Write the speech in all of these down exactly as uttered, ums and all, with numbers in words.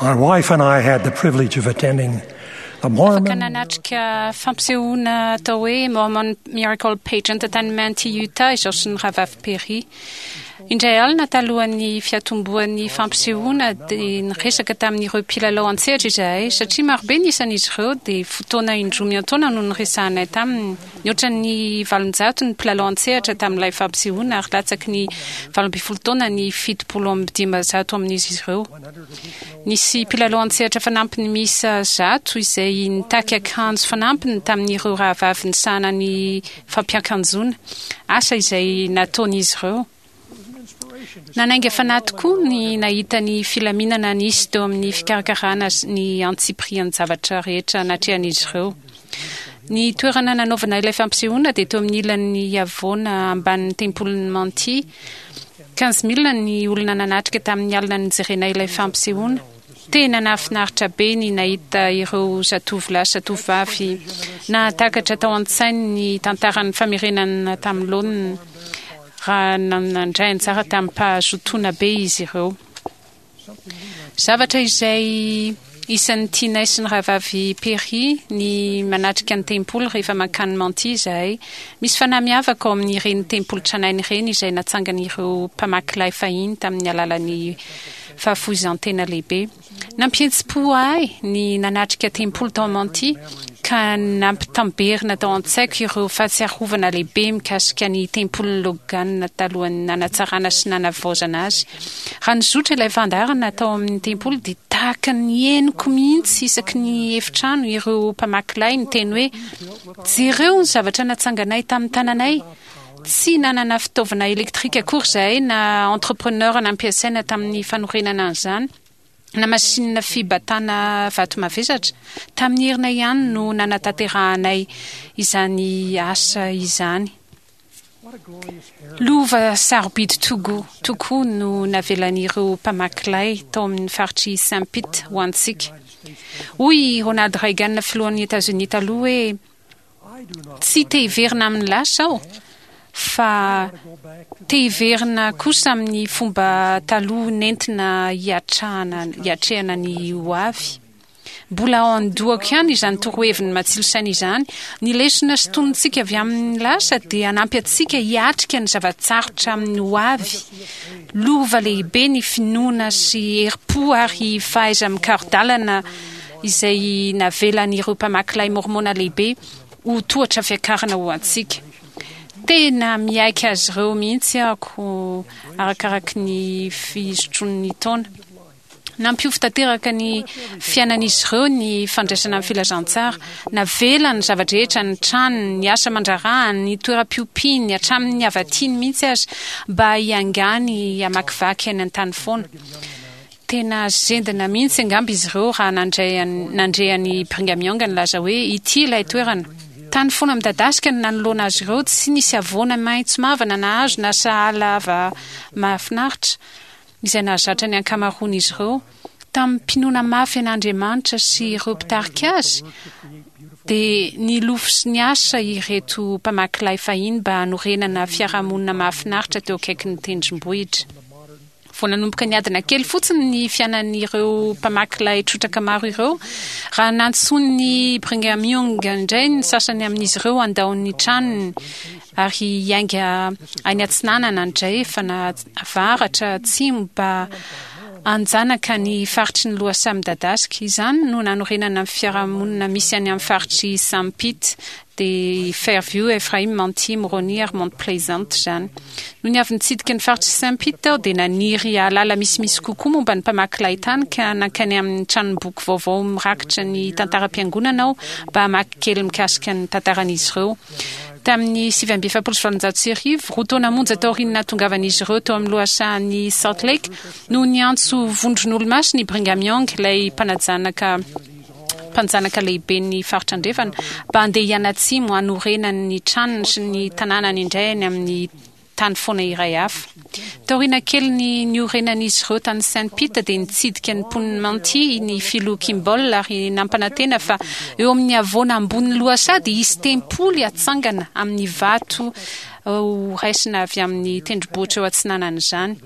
My wife and I had the privilege of attending the Afaka Mormon nanatrika fampisehoana atao hoe Mormon Miracle Pageant tany Manti, Utah izaho sy ny rahavavy Perry. Indray alina talohan'ny fiatombohan'ny fampisehoana dia niresaka tamin'ireo mpilalao an-tsehatra izahay satria marobe ny isan'izy ireo dia fotoana indroa miantaona no niresahanay taminy. Nihoatra ny valonjato ny mpilalao an-tsehatra tamin'ilay fampisehoana ary latsaky ny valo ambin'ny folo taona ny fitopolo amby dimanjato amin'izy ireo. Nisy mpilalao an-tsehatra fanampiny miisa zato izay nitaky akanjo fanampiny tamin'ireo rahavavy nisahana ny fampiakanjoana, asa izay nataon'izy ireo. Nanainga fanahy tokoa ny nahita ny filaminana nisy teo amin'ny fikarakarana ny antsipirian-javatra rehetra natrehan'izy ireo. Ny toerana nanaovana ilay fampisehoana dia teo amin'ny ilan'ny havoana ambanin'ny tempolin'ny Manti. Quinze mille ny olona nanatrika tamin'ny alina nijerena ilay fampisehoana. Tena nahafinaritra be ny nahita ireo zatovolahy sy zatovovavy nahatakatra tao an-tsainy ny tantaran'ny famerenana tamin'ny laoniny raha nandray anjara tamim-pahazotoana be izy ireo. Zavatra izay isan'ny tianay sy ny rahavavy Perry ny manatrika ny tempoly rehefa mankany Manti izahay. Misy fanahy miavaka ao amin'ireny tempoly tranainy ireny izay natsangan'ireo mpamaky lay fahiny tamin'ny alalan'ny fahafoizan-tena lehibe. Nampihetsi-po ahy ny nanatrika tempoly tao Manti ka nampitamberina tao an-tsaiko ireo fahatsiarovana lehibe mikasika ny tempolin'i Logan talohan'ny nanatsarana sy nanavaozana azy. Raha nizotra ilay fandaharana tao amin'ny tempoly dia tahaka ny henoko mihitsy isaky ny efitrano ireo mpamaky lay niteny hoe jereo ny zavatra natsanganay tamin'ny tananay. Tsy nanana fitaovana elektrika akory izahay na entrepreneur nampiasaina tamin'ny fanorenana an'izany na masinina fibatana vato mavesatra. Tamin'ny herinay ihany no nanatanterahanay izany asa izany. Lova sarobidy togo tokoa no navelan'ireo mpamaky lay tao amin'ny faritry Saint Pete ho antsika. Hoy i Ronald Reagan filohan'ny Etazonia taloha hoe tsy te hiverina amin'ny lasa aho fa te hiverina kosa amin'ny fomba taloha nentina hiatrahana hiatrehana ny ho avy. Mbola ao an-dohako ihany izany toroheviny matsilo saina izany. Ny lesona sintonintsika avy amin'ny lasa dia hanampy antsika hiatrika ny zava-tsarotra amin'ny ho avy. Lova lehibe ny finoana sy herim-po ary fahaiza-mikaro-dalana izay navelan'ireo mpamaky lay mormona lehibe ho tohatra fiakarana ho antsika. Tena miaiky azy ireo mihitsy aho arakaraky ny fizotron'ny taona. Nampiofo tanteraka ny fiainan'izy ireo ny fandraisana ny filazantsara. Navelany ny zava-drehetra, ny tranony, ny asa aman-draharahany, ny toeram-piompiany, hatramin'ny havatiany mihitsy aza mba hiangany hamakivaky any an-tany foana. Tena zendana mihitsy angamba izy ireo raha nandray nandre an'i Brigham Young nilaza hoe ity ilay toerana. Tany foana midadasika no nanoloana azy ireo, tsy nisy havoana maitso mavana na hazo na sahala ava mahafinaritra izay nahazatra ny ankamaroan'izy ireo. Tamim-pinoana mafy an'Andriamanitra sy ireo mpitarika azy dia nilofo sy niasa ireto mpamaky lay fahiny mba hanorenana fiarahamonina mahafinaritra teo akaikin'ny tendrombohitra. Vao nanomboka niadana kely fotsiny ny fiainan'ireo mpamaky lay trotraka maro ireo raha nantsoin'i Brigham Young indray ny sasany amin'izy ireo handao ny tranony ary hiainga any atsinanana andrefana avaratra atsimo mba hanjanaka ny faritry ny lohasaha midadasika. Izany no nanorenana ny fiarahamonina misy any amin'ny faritry Saint Pete dia Fairview, Ephraim, Manti, Moroni ary Mount Pleasant izany. Nony avy nitsidika ny faritry Saint Pete aho dia naniry hahalala misimisy kokoa momba ny mpamaky lay tany ka nankany amin'ny tranomboky vaovao mirakitra ny tantaram-piangonana aho mba hamaky kely mikasika ny tantaran'izy ireo. Tamin'ny sivy amby efapolo sy valonjato sy arivo, roa taona monja taorian'ny nahatongavan'izy ireo teo amin'ny lohasahan'i Salt Lake, no niantso vondron'olomasina i Brigham Young, ilay mpanajanaka mpanjanaka lehiben'ny faritra andrefana, mba handeha hianatsimo hanorenany ny tranony sy ny tanànany indray any amin'ny tany foana iray hafa. Taoriana kelin'ny niorenan'izy ireo tany Saint Pete dia nitsidika ny mponin'i Manti ny filoha Kimball ary nampanantena fa eo amin'ny havoana ambonin'ny lohasaha dia hisy tempoly hatsangana amin'ny vato ho raisina avy amin'ny tendrombohitra eo atsinanan'izany.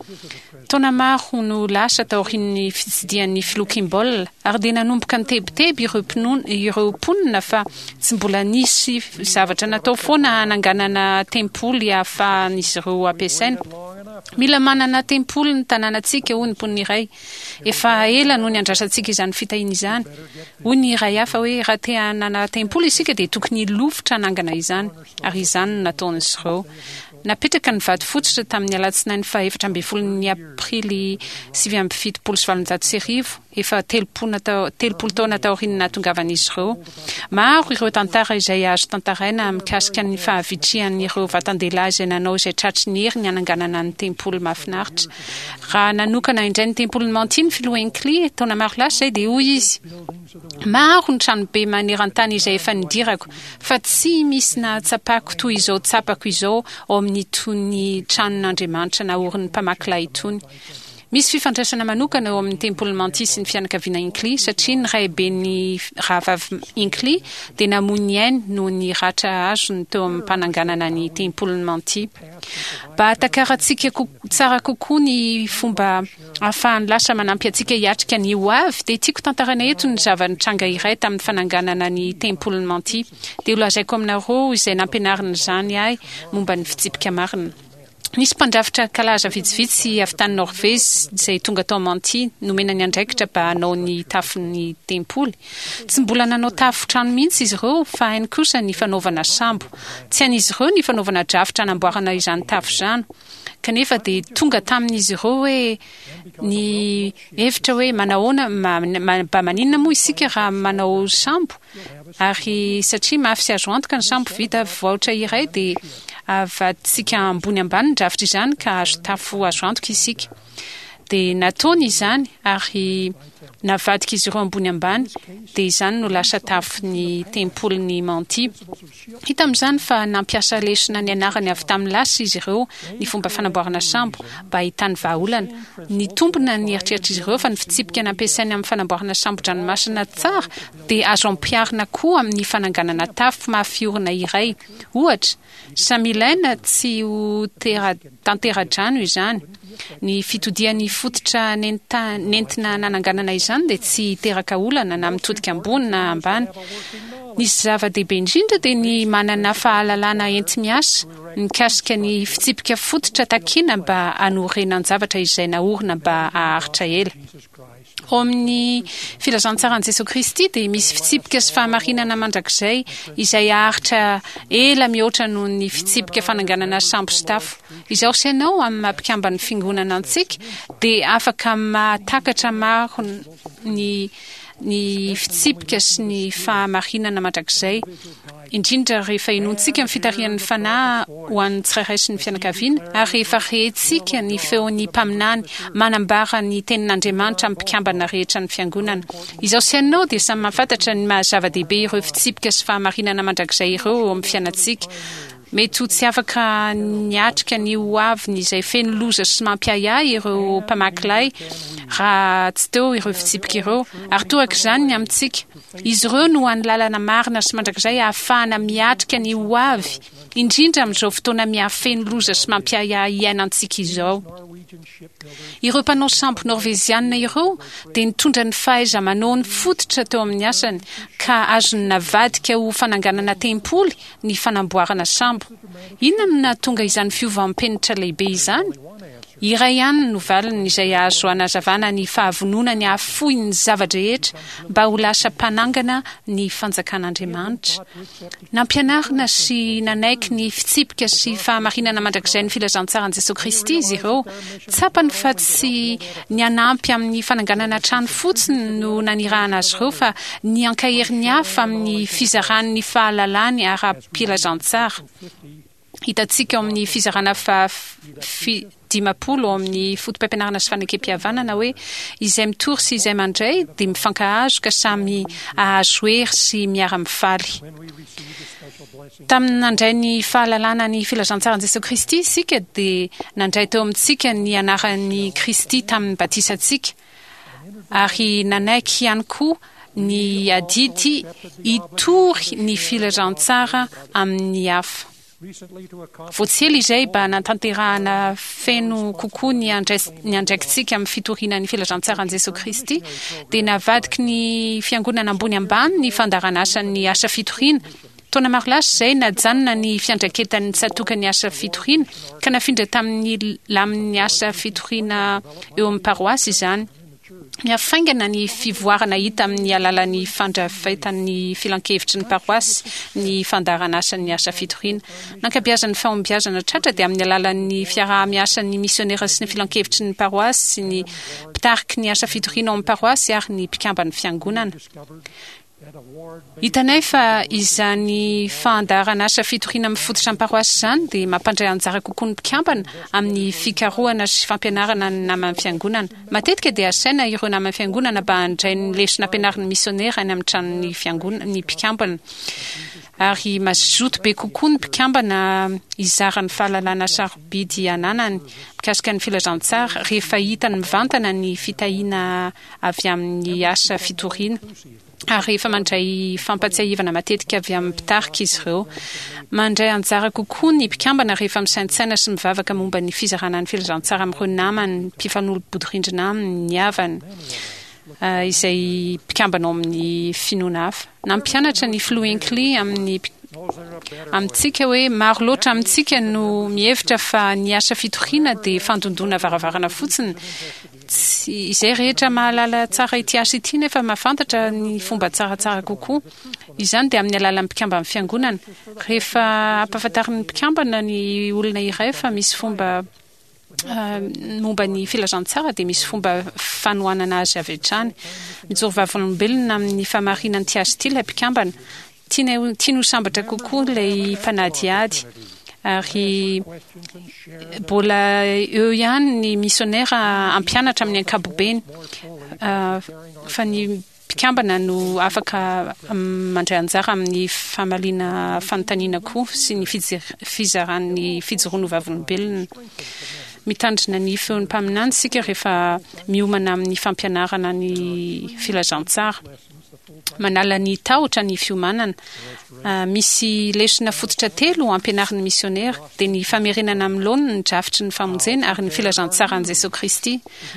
Taona maro no lasa taorian'ny fitsidihan'ny filoha Kimball, ary dia nanomboka nitebiteby ireo mpinono ireo mponina fa tsy mbola nisy zavatra natao foana hananganana tempoly ahafahan'izy ireo ampiasaina. Mila manana tempoly ny tanànantsika, hoy ny mponina iray. Efa ela no niandrasantsika izany fitahiana izany. Hoy ny iray hafa hoe raha te hanana tempoly isika dia tokony hilofotra hanangana izany, ary izany no nataon'izy ireo. Napetraka ny vato fototra tamin'ny alatsinainy faha efatra ambin'ny folon'ny aprily sivy amby fitopolo sy valonjato sy arivo, efa telopolo telopolo taona taorian'ny nahatongavan'izy ireo. Maro ireo tantara izay azo tantaraina mikasika ny fahavitrihan'ireo vatan-dehilahy izay nanao izay tratry ny heriny hananganana ny tempoly mahafinaritra. Raha nanokana indray ny tempolin'i Manti ny filoha Hinckley taona maro lasa izay, dia hoy izy: "Maro ny tranobe maneran-tany izay efa nidirako, fa tsy misy nahatsapako toy izao tsapako izao ao amin'itony tranon'Andriamanitra naorin'ny mpamaky lay itony." Misy fifandraisana manokana eo amin'ny tempolin'i Manti sy ny fianakaviana Hinckley, satria ny raiben'ny rahavavy Hinckley dia namoy ny ainy noho ny ratra azony teo amin'ny mpananganana ny tempolin'i Manti. Mba hahatakarantsika tsara kokoa ny fomba ahafahan'ny lasa manampy antsika hiatrika ny ho avy, dia tiako tantaraina eto ny zava-nitranga iray tamin'ny fananganana ny tempolin'i Manti. Dia holazaiko aminareo izay nampianarin'izany ahy momba ny fitsipika marina. Nisy mpandrafitra kalaza vitsivitsy avy tany Norvezy izay tonga tao Manti nomena ny andraikitra mba hanao ny tafon'ny tempoly. Tsy mbola nanao tafo trano mihitsy izy ireo, fa hainy kosa ny fanaovana sambo. Tsy hain'izy ireo ny fanaovana drafitra hanamboarana izany tafo izany. Kanefa dia tonga tamin'izy ireo hoe ny hevitra hoe manahoana, mba maninona moa isika raha manao sambo? Ary satria mafy sy azo antoka ny sambo vita vaotra iray, dia avaditsika ambony ambany ny drafitra izany ka azo tafo azo antoka isika. Dia nataony izany ary navadika izy ireo ambony ambany, dia izany no lasa tafon'ny tempolin'i Manti. Hita amin'izany fa nampiasa lesona nianarany avy tamin'ny lasa izy ireo ny fomba fanamboarana sambo mba hahitany vahaolana. Nitombina ny eritreritr'izy ireo fa ny fitsipika nampiasainy amin'ny fanamboarana sambo-dranomasina tsara dia azo ampiharina koa amin'ny fananganana tafo mafy orina iray. Ohatra, samy ilaina tsy ho tantera-drano izany. Ny fitodian'ny fototra nentina nananganana izany dia tsy hiteraka olana na mitodika ambony na ambany. Ny zava-dehibe indrindra dia ny manana fahalalana enti-miasa mikasika ny fitsipika fototra takiana mba hanorenan-javatra izay naorina mba haharitra ela. Ao amin'ny filazantsaran'i Jesoa Kristy dia misy fitsipika sy fahamarinana mandrakizay izay haharitra ela mihoatra noho ny fitsipika fananganana sambo sy tafo. Izaho sy ianao amin'ny maha mpikamban'ny fiangonana antsika dia afaka mahatakatra maro ny ny fitsipika sy ny fahamarinana mandrakizay, indrindra rehefa henointsika ny fitarihan'ny Fanahy ho an'ny tsirairay sy ny fianakaviana, ary rehefa rentsika ny feon'ny mpaminany manambara ny tenin'Andriamanitra amin'ny mpikambana rehetra ny fiangonana. Izaho sy ianao dia samy mahafantatra ny maha zava-dehibe ireo fitsipika sy fahamarinana mandrakizay ireo eo amin'ny fiainantsika. Mety ho tsy afaka niatrika ny ho aviny izay feno loza sy mampiahiahy ireo mpamaky lay raha tsy teo ireo fitsipika ireo, ary toraka izany ny amintsika. Izy ireo no hany lalana marina sy mandrakizay ahafahana miatrika ny ho avy, indrindra amin'izao fotoana mihafeno loza sy mampiahiahy iainantsika izao. Ireo mpanao sambo norvezianina ireo dia nitondra ny fahaiza-manao ny fototra teo amin'ny asany, ka azony navadika ho fananganana tempoly ny fanamboarana sambo. Inona no nahatonga izany fiovam-penitra lehibe izany? Iray ihany no valiny izay azo hanazavana ny fahavononany hahafoy ny zava-drehetra mba ho lasa mpanangana ny fanjakan'Andriamanitra. Nampianarina sy nanaiky ny fitsipika sy fahamarinana mandrakizay ny filazantsaran'i Jesoa Kristy izy ireo. Tsapany fa tsy ny hanampy amin'ny fananganana trano fotsiny no nanirahana azy ireo, fa ny hankahery ny hafa amin'ny fizarany ny fahalalany ara-pilazantsara. Hitantsika ao amin'ny fizarana faha dimampolo ao amin'ny foto-pampianarana sy fanekem-pihavanana hoe izay mitory sy izay mandray dia mifankahazo ka samy hahazo hery sy miara-mifaly. Tamin'ny nandray ny fahalalana ny filazantsaran'i Jesoa Kristy isika dia nandray teo amintsika ny anaran'i Kristy tamin'ny batisantsika, ary nanaiky ihany koa ny adidy hitory ny filazantsara amin'ny hafa. Vao tsy ela izay mba natanterahana feno kokoa ny andrais- ny andraikitsika amin'ny fitoriana ny filazantsaran'i Jesosy Kristy, dia navadiky ny fiangonana ambony ambany ny fandaharanasan'ny asa fitoriana. Taona maro lasa izay najanona ny fiandraiketan'ny tsatòka ny asa fitoriana ka nafindra tamin'ny lamin'ny asa fitoriana eo amin'ny paroasy izany. Mihafaingana ny fivoarana hita amin'ny alalan'ny fandrafetan'ny filankevitry ny paroasy ny fandaharanasan'ny asa fitoriana. Nankabiazan'ny fahombiazana tratra dia amin'ny alalan'ny fiaraha-miasan'ny misionera sy ny filankevitry ny paroasy sy ny mpitariky ny asa fitoriana ao amin'ny paroasy ary ny mpikamban'ny fiangonana. Hitanay fa izany fandaharanasa fitoriana mifototra amin'ny paroasy izany dia mampandray anjara kokoa ny mpikambana amin'ny fikarohana sy fampianarana ny naman'ny fiangonana. Matetika dia asaina ireo naman'ny fiangonana mba handray ny lesona ampianarin'ny misionera any amin'ny tranon'ny fiangonana ny mpikambana. Ary mazoto be kokoa ny mpikambana hizara ny fahalalana sarobidy ananany mikasika ny filazantsara rehefa hitany mivantana ny fitahiana avy amin'ny asa fitoriana. Ary rehefa mandray fampatsiahivana matetika avy amin'ny mpitarika izy ireo. Mandray anjara kokoa ny mpikambana rehefa misaintsaina sy mivavaka momba ny fizarana ny filazantsara amin'ireo namany mpifanolo-bodirindrina aminy, ny havany, izay mpikambana ao amin'ny finoana hafa. Nampianatra ny filoha Hinckley amin'ny amintsika hoe maro loatra amintsika no mihevitra fa ny asa fitoriana dia fandondona varavarana fotsiny. Tsy izay rehetra mahalala tsara ity asa ity nefa mahafantatra ny fomba tsaratsara kokoa. Izany dia amin'ny alalan'ny mpikamban'ny fiangonana. Rehefa ampahafantarin'ny mpikambana ny olona iray fa misy fomba momba ny filazantsara dia misy fomba fanohanana azy avy hatrany. Mijoro vavolombelona amin'ny fahamarinan'ity asa ity ilay mpikambana. Tiany tiany ho sambatra kokoa ilay mpanadihady. Ary mbola eo ihany ny misionera ampianatra amin'ny ankapobeny, fa ny mpikambana no afaka mandray anjara amin'ny famaliana fanontaniana koa sy ny fizaran'ny fijoroana ho vavolombelona. Mitandrina ny feon'ny mpaminany isika rehefa miomana amin'ny fampianarana ny filazantsara. Manala ny tahotra ny fiomanana. Misy lesona fototra telo ampianarin'ny misionera, dia ny famerenana amin'ny laoniny ny drafitry ny famonjena ary ny filazantsaran'i Jesosy Kristy.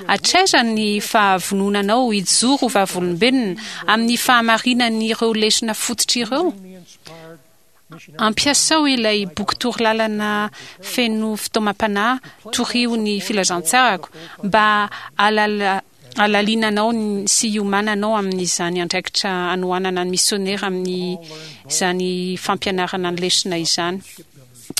Hatraiza ny fahavononanao hijoro ho vavolombelona amin'ny fahamarinan'ireo lesona fototra ireo? Ampiasao ilay boky torolalana feno fitaomam-panahy torio ny filazantsarako mba ahalala alalinanao sy hiomananao amin'izany andraikitra anohanana ny misionera amin'izany fampianarana ny lesona izany.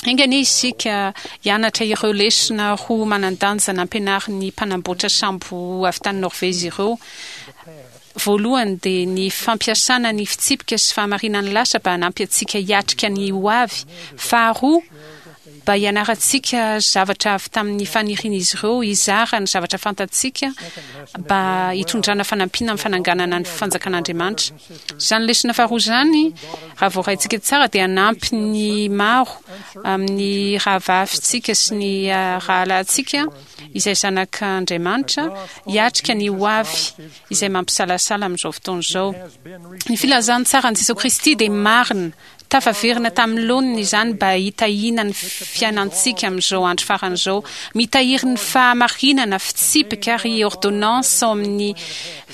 Enga anie isika hianatra ireo lesona roa manan-danja nampianarin'ny mpanamboatra sambo avy tany Norvezy ireo. Voalohany dia ny fampiasana ny fitsipika sy fahamarinan'ny lasa mba hanampy antsika hiatrika ny ho avy. Faharoa, mba hianarantsika zavatra avy tamin'ny fanirian'izy ireo hizara ny zavatra fantatsika mba hitondrana fanampiana amin'ny fananganana ny fanjakan'Andriamanitra. Izany lesona faharoa izany, raha voaraintsika tsara, dia hanampy ny maro amin'ny rahavavintsika sy ny rahalahintsika izay zanak'Andriamanitra hiatrika ny ho avy izay mampisalasala amin'izao fotoana izao. Ny filazantsaran'i Jesosy Kristy dia marina, tafaverina tamin'ny laoniny izany mba hitahiana ny fiainantsika amin'izao andro farany izao. Mitahiry ny fahamarinana, fitsipika ary ordonnance ao amin'ny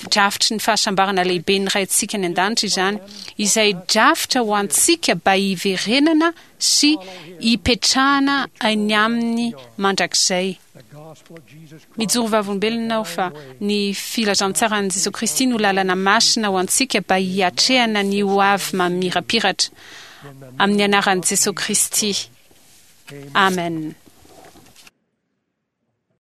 drafitry ny fahasambarana lehibe ny Raintsika any an-danitra izany, izay drafitra ho antsika mba hiverenana sy hipetrahana any aminy mandrakizay. Mijoro vavolombelona aho fa ny filazantsaran'i Jesosy Kristy no lalana masina ho antsika mba hiatrehana ny ho avy mamirapiratra. Amin'ny anaran'i Jesosy Kristy. Amen.